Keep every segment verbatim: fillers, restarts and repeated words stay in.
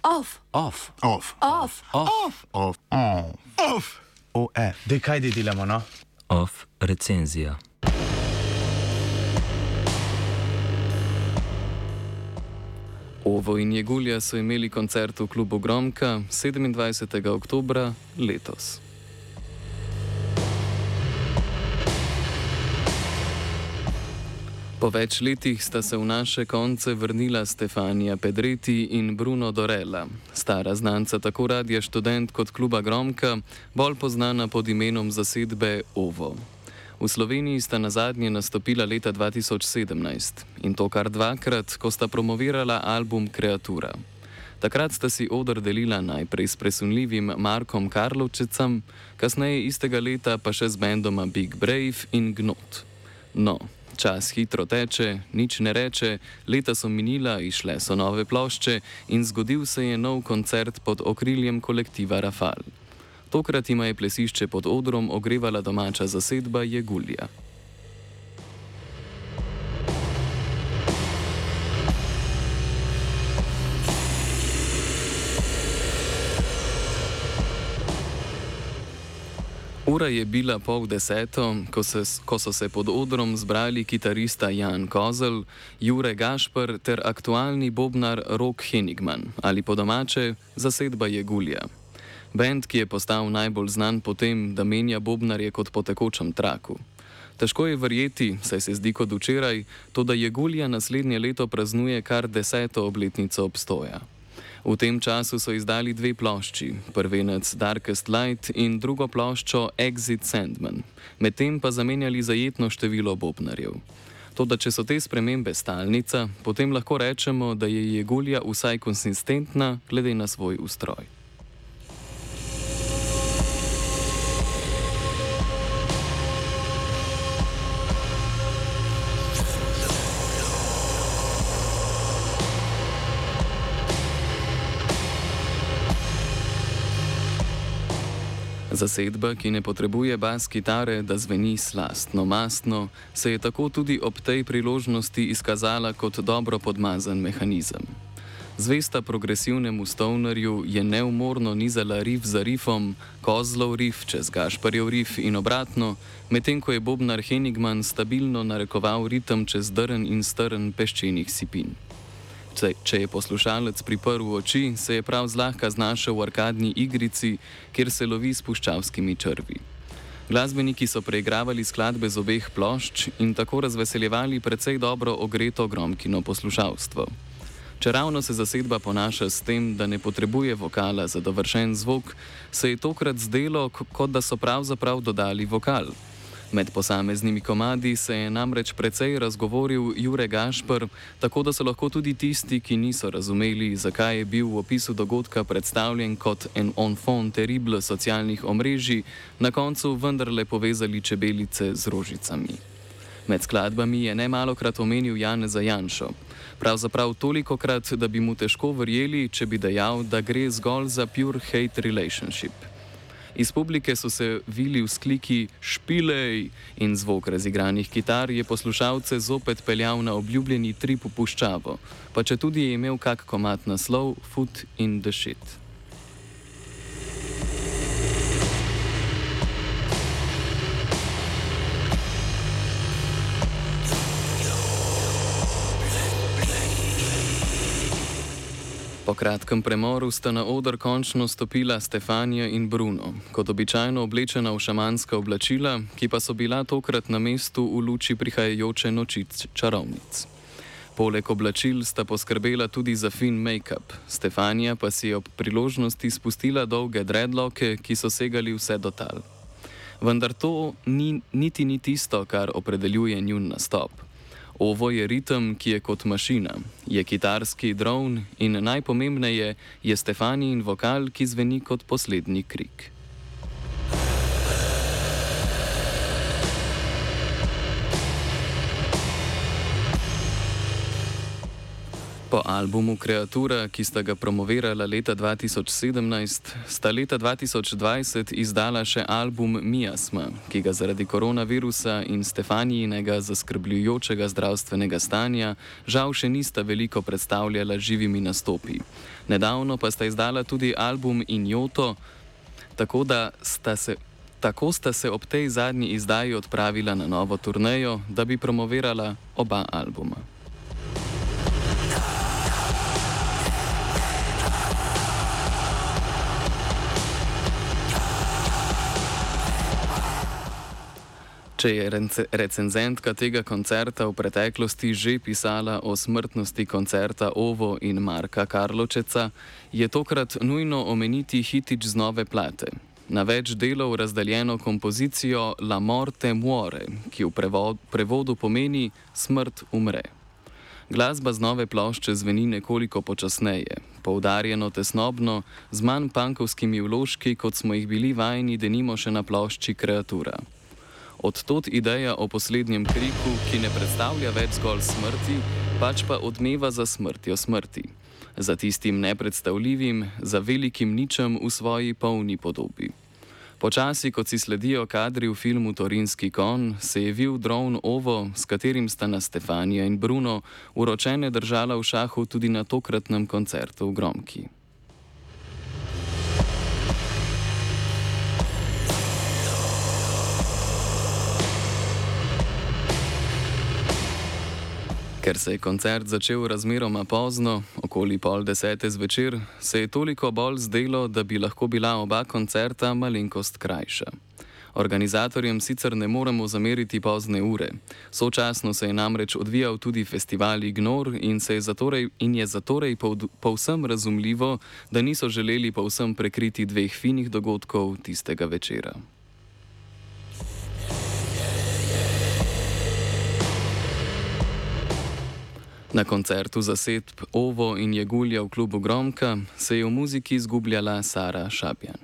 Off. Off. Off. Off. Off. Off. Off. Off. O, E. Dej, kaj dej delamo, no? Off recenzija. Ovo in Jegulja so imeli koncert v klubu Gromka sedemindvajsetega oktobra letos. Po več letih sta se v naše konce vrnila Stefania Pedretti in Bruno Dorella, stara znanca tako Radia Študent kot kluba Gromka, bolj poznana pod imenom zasedbe Ovo. V Sloveniji sta nazadnje nastopila leta dva tisoč sedemnajst in to kar dvakrat, ko sta promovirala album Kreatura. Takrat sta si oder delila najprej s presunljivim Markom Karlovčecem, kasneje istega leta pa še z bendoma Big Brave in Gnot. No, čas hitro teče, nič ne reče, leta so minila, išle so nove plošče in zgodil se je nov koncert pod okriljem kolektiva Rafal. Tokrat ima je plesišče pod odrom ogrevala domača zasedba Jegulja. Ura je bila pol deseto, ko, se, ko so se pod odrom zbrali kitarista Jan Kozel, Jure Gašper ter aktualni bobnar Rok Henigman, ali po domače zasedba Jegulja. Band, ki je postal najbolj znan po tem, da menja bobnarje kot po tekočem traku. Težko je verjeti, saj se zdi kot včeraj, to da Jegulja naslednje leto praznuje kar deseto obletnico obstoja. V tem času so izdali dve plošči, prvenec Darkest Light in drugo ploščo Exit Sandman, medtem pa zamenjali zajetno število bobnarjev. Toda če so te spremembe stalnica, potem lahko rečemo, da je Jegulja vsaj konsistentna glede na svoj ustroj. Zasedba, ki ne potrebuje bas kitare, da zveni slastno, mastno, se je tako tudi ob tej priložnosti izkazala kot dobro podmazan mehanizem. Zvesta progresivnemu stovnerju je neumorno nizala rif za rifom, Kozlov rif čez Gašparjev rif in obratno, medtem ko je bobnar Henigman stabilno narekoval ritem čez drn in strn peščenih sipin. Če je poslušalec priprl oči, se je prav zlahka znašel v arkadni igrici, kjer se lovi s puščavskimi črvi. Glasbeniki so preigravali skladbe z obeh plošč in tako razveseljevali precej dobro ogreto Gromkino poslušalstvo. Čeravno se zasedba ponaša s tem, da ne potrebuje vokala za dovršen zvok, se je tokrat zdelo, kot da so pravzaprav dodali vokal. Med posameznimi komadi se je namreč precej razgovoril Jure Gašper, tako da so lahko tudi tisti, ki niso razumeli, zakaj je bil v opisu dogodka predstavljen kot en enfant terrible socialnih omrežij, na koncu vendarle povezali čebelice z rožicami. Med skladbami je nemalokrat omenil Janeza Janšo. Pravzaprav tolikokrat, da bi mu težko verjeli, če bi dejal, da gre zgolj za pure hate relationship. Iz publike so se vili vzkliki "špilej" in zvok razigranih kitar je poslušalce zopet peljal na obljubljeni trip v puščavo, pa če tudi je imel kak komad naslov Foot in the Shit. Po kratkem premoru sta na oder končno stopila Stefania in Bruno, kot običajno oblečena v šamanska oblačila, ki pa so bila tokrat na mestu v luči prihajajoče noči čarovnic. Poleg oblačil sta poskrbela tudi za fin make-up, Stefania pa si je ob priložnosti spustila dolge dreadlocke, ki so segali vse do tal. Vendar to ni, niti ni tisto, kar opredeljuje njun nastop. Ovo je ritem, ki je kot mašina, je kitarski dron in najpomembneje je Stefanin vokal, ki zveni kot poslednji krik. Po albumu Kreatura, ki sta ga promovirala leta dva tisoč sedemnajst, sta leta dva tisoč dvajset izdala še album Miasma, ki ga zaradi koronavirusa in Stefanijinega zaskrbljujočega zdravstvenega stanja žal še nista veliko predstavljala živimi nastopi. Nedavno pa sta izdala tudi album Injoto, tako da sta se, tako sta se ob tej zadnji izdaji odpravila na novo turnejo, da bi promovirala oba albuma. Če je recenzentka tega koncerta v preteklosti že pisala o smrtnosti koncerta Ovo in Marka Karločeca, je tokrat nujno omeniti hitič z nove plate. Na več delov razdeljeno kompozicijo La morte muore, ki v prevodu pomeni Smrt umre. Glasba z nove plošče zveni nekoliko počasneje, poudarjeno tesnobno, z manj punkovskimi vložki, kot smo jih bili vajeni denimo še na plošči Kreatura. Od tod ideja o poslednjem kriku, ki ne predstavlja več zgolj smrti, pač pa odmeva za smrtjo smrti. Za tistim nepredstavljivim, za velikim ničem v svoji polni podobi. Počasi, kot si sledijo kadri v filmu Torinski konj, se je vil dron Ovo, s katerim sta nas Stefanija in Bruno uročene držala v šahu tudi na tokratnem koncertu v Gromki. Ker se je koncert začel razmeroma pozno, okoli pol desete zvečer, se je toliko bolj zdelo, da bi lahko bila oba koncerta malenkost krajša. Organizatorjem sicer ne moremo zameriti pozne ure. Sočasno se je namreč odvijal tudi festival Ignor in, se je, zatorej, in je zatorej povsem razumljivo, da niso želeli povsem prekriti dveh finih dogodkov tistega večera. Na koncertu zasedb Ovo in Jegulja v klubu Gromka se je v muziki izgubljala Sara Šabjan.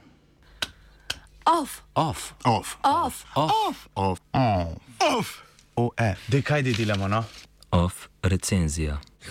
Off, Off. Off. off, Off. Off. On. Off. O, e, daj kaj delamo, no? Off recenzija.